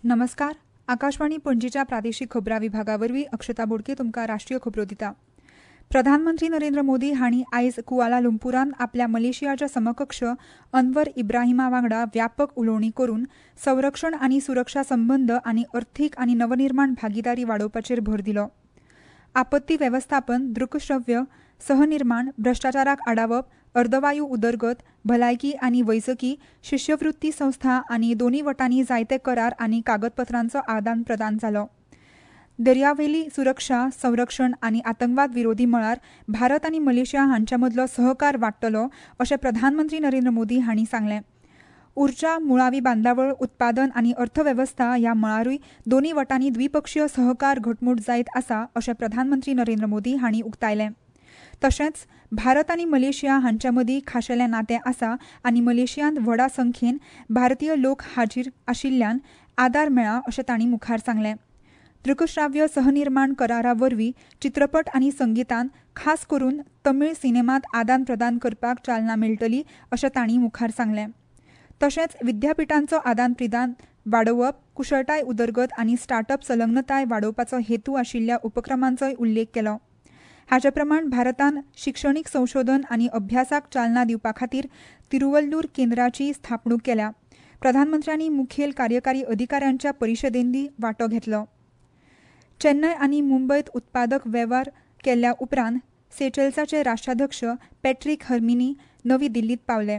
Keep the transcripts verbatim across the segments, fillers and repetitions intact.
नमस्कार, आकाशवाणी पणजीच्या प्रादेशीक खबरां विभागा वरवीं अक्षता बोडके तुमकां राष्ट्रीय खबरो दिता. प्रधानमंत्री नरेंद्र मोदी हांणी आयज कुआला लुंपुरांत आपल्या मलेशियाच्या समकक्ष अन्वर इब्राहिमा वांगडा व्यापक उलोवणी करून संरक्षण आनी सुरक्षा संबंद आनी अर्थीक आनी नवनिर्माण भागिदारी वाडोवपाचेर भर दिलो. आपत्ती वेवस्थापन, दृकश्रव्य सहनिर्माण, भ्रश्टाचाराक आडावप, अर्दवायू उदरगत, भलायकी आनी वैजकी, शिश्यवृत्ती संस्था आनी दोनूय वटांनी जायते करार आनी कागदपत्रांचो आदान प्रदान जालो. दर्यावेली सुरक्षा, संरक्षण आनी आतंकवाद विरोधी मळार भारत आनी मलेशिया हांच्या मदलो सहकार वाडटलो अशें प्रधानमंत्री नरेंद्र मोदी हांणी सांगलें. उर्जा, मुळावी बांदावळ, उत्पादन आनी अर्थवेवस्था ह्या मळारूय दोनूय वटांनी द्विपक्षीय सहकार घटमूट जायत आसा अशें प्रधानमंत्री नरेंद्र मोदी हांणी उक्तायलें. तशेंच भारत आनी मलेशिया हांच्या मदीं खाशेलें नातें आसा आनी मलेशियांत व्हडा संख्येन भारतीय लोक हाजीर आशिल्ल्यान आदार मेळ्ळा अशें तांणी मुखार सांगलें. दृकश्राव्य सहनिर्माण करारा वरवीं चित्रपट आनी संगितान खास करून तमीळ सिनेमांत आदान प्रदान करपाक चालना मेळटली अशें तांणी मुखार सांगलें. तशेंच विद्यापिठांचो आदान प्रदान वाडोवप, कुशळटाय उदरगत आनी स्टार्टअप संलग्नताय वाडोवपाचो हेतू आशिल्ल्या उपक्रमांचोय उल्लेख केलो. हाचे प्रमाण भारतान शिक्षणीक संशोधन आनी अभ्यासाक चालना दिवपा खातीर तिरुवल्लूर केंद्राची स्थापणूक केल्या. प्रधानमंत्र्यांनी मुखेल कार्यकारी अधिकाऱ्यांच्या परिशदेंनी वांटो घेतलो. चेन्नय आनी मुंबयत उत्पादक वेव्हार केल्ल्या उपरांत सेचेल्साचे राष्ट्राध्यक्ष पॅट्रीक हर्मिनी नवी दिल्लीत पावले.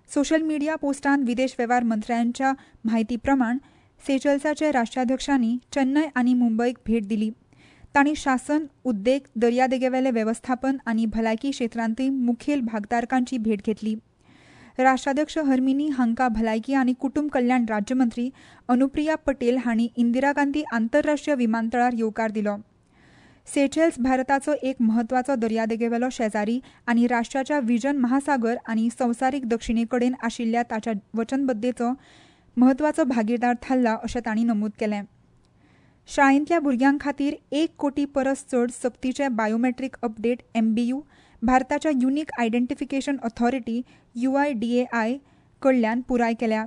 सोशल मिडिया पोस्टांत विदेश वेव्हार मंत्र्यांच्या म्हायती प्रमाण सेचेल्साचे राष्ट्राध्यक्षांनी चेन्नय आनी मुंबयक भेट दिली. तांणी शासन, उद्देग, दर्यादेगेवेले वेवस्थापन आनी भलायकी क्षेत्रांतूय मुखेल भागधारकांची भेट घेतली. राष्ट्राध्यक्ष हर्मिनी हांकां भलायकी आनी कुटुंब कल्याण राज्यमंत्री अनुप्रिया पटेल हांणी इंदिरा गांधी आंतरराष्ट्रीय विमानतळार येवकार दिलो. सेचेल्स भारताचो एक म्हत्वाचो दर्यादेगेवेलो शेजारी आनी राष्ट्राच्या विजन महासागर आनी संवसारीक दक्षिणे कडेन आशिल्ल्या ताच्या वचनबद्धतेचो म्हत्वाचो भागीदार थारला अशें तांणी नमूद केलें. शाळेंतल्या भुरग्यां खातीर एक कोटी परस चड सक्तीचे बायोमेट्रीक अपडेट एमबीयू भारताच्या unique identification authority U I D A I कडल्यान पुराय केल्या.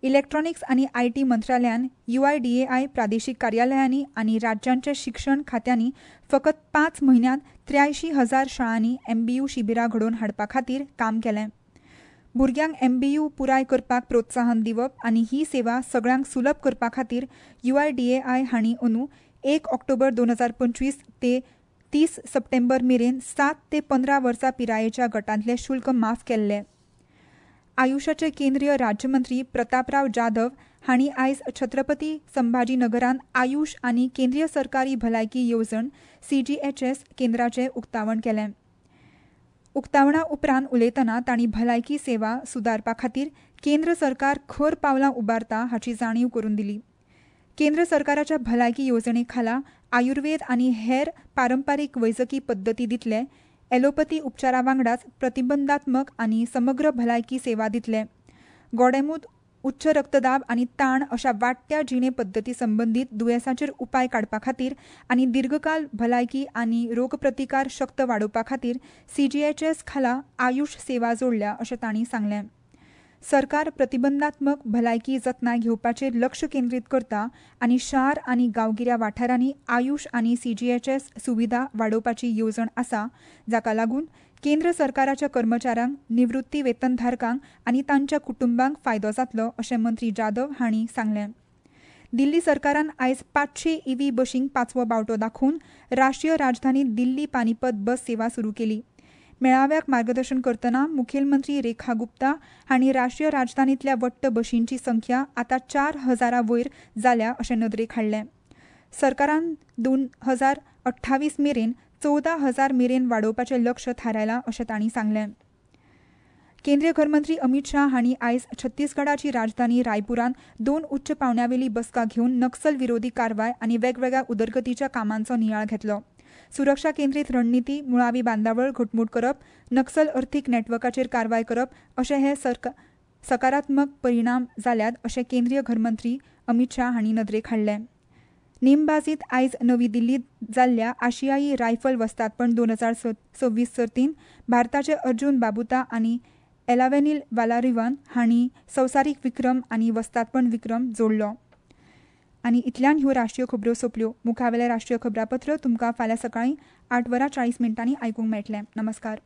इलेक्ट्रॉनिक्स आनी I T मंत्रालयान you I D A I प्रादेशीक कार्यालयांनी आनी राज्यांच्या शिक्षण खात्यांनी फकत पांच म्हयन्यांत त्र्यायशीं हजार शाळांनी एमबीयू शिबिरां घडोवन हाडपा खातीर काम केलें. भुरग्यांक एमबीयू पुराय करपाक प्रोत्साहन दिवप आनी ही सेवा सगळ्यांक सुलभ करपा खातीर you I D A I हांणी अंदू एक ऑक्टोबर दोन हजार पंचवीस ते तीस सप्टेंबर मेरेन सात ते पंदरा वर्सां पिरायेच्या गटांतले शुल्क माफ केल्ले. आयुषाचे केंद्रीय राज्यमंत्री प्रतापराव जाधव हांणी आयज छत्रपती संभाजीनगरांत आयुष आनी केंद्रीय सरकारी भलायकी येवजण सी जी एच एस केंद्राचें उक्तावण केलें. उक्तावणा उपरांत उलयतना तांणी भलायकी सेवा सुदारपा खातीर केंद्र सरकार खर पावलां उबारता हाची जाणीव करून दिली. केंद्र सरकाराच्या भलायकी येवजणे खाला आयुर्वेद आनी हेर पारंपारीक वैजकी पद्दती दितले, एलोपथी उपचारा वांगडाच प्रतिबंधात्मक आनी समग्र भलायकी सेवा दितले. गोडेंमूत, उच्च रक्तदाब आनी ताण अशा वाडट्या जिणे पद्दती संबंदीत दुयेंसांचेर उपाय काडपा खातीर आनी दीर्घकाल भलायकी आनी रोगप्रतिकार शक्त वाडोवपा खातीर सी जी एच एस खाला आयुष सेवा जोडल्या अशें तांणी सांगलें. सरकार प्रतिबंधात्मक भलायकी जतनाय घेवपाचेर लक्ष केंद्रीत करता आनी शार आनी गांवगिऱ्या वाठारांनी आयुष आनी सी जी एच एस सुविधा वाडोवपाची येवजण आसा, जाका लागून केंद्र सरकाराच्या कर्मचाऱ्यांक, निवृत्ती वेतनधारकांक आनी तांच्या कुटुंबांक फायदो जातलो अशें मंत्री जाधव हांणी सांगलें. दिल्ली सरकारान आयज पांचशे ईव्ही बशींक पांचवो बावटो दाखोवन राष्ट्रीय राजधानी दिल्ली पानीपत बस सेवा सुरू केली. मेळाव्याक मार्गदर्शन करतना मुखेलमंत्री रेखा गुप्ता हांणी राष्ट्रीय राजधानीतल्या वट्ट बशींची संख्या आतां चार हजारा वयर जाल्या अशें नदरेक हाडलें. सरकारान दोन हजार अठ्ठावीस मेरेन चवदा हजार मेरेन वाडोवपाचें लक्ष थारायलां अशें तांणी सांगलें. केंद्रीय घरमंत्री अमित शाह हांणी आयज छत्तीसगडाची राजधानी रायपुरांत दोन उच्च पावंड्यावेली बसका घेवन नक्सल विरोधी कारवाय आनी वेगवेगळ्या उदरगतीच्या कामांचो नियाळ घेतलो. सुरक्षा केंद्रीत रणनिती, मुळावी बांदावळ घटमूट करप, नक्सल अर्थीक नेटवर्काचेर कारवाय करप अशे हे सकारात्मक परिणाम जाल्यात अशें केंद्रीय घरमंत्री अमित शाह हांणी नदरेक हाडलें. नेमबाजीत आयज नवी दिल्लीत जाल्ल्या आशियाई रायफल वस्तादपण दोन हजार सव्वीस सर्तींत भारताचे अर्जुन बाबुता आनी एलावेनील वालारिवान हांणी संवसारीक विक्रम आनी वस्तादपण विक्रम जोडलो. आनी इतल्यान ह्यो राष्ट्रीय खबरो सोंपल्यो. मुखावेलें राष्ट्रीय खबरापत्र तुमकां फाल्यां सकाळीं आठ वरां चाळीस मिनटांनी आयकूंक मेळटलें. नमस्कार.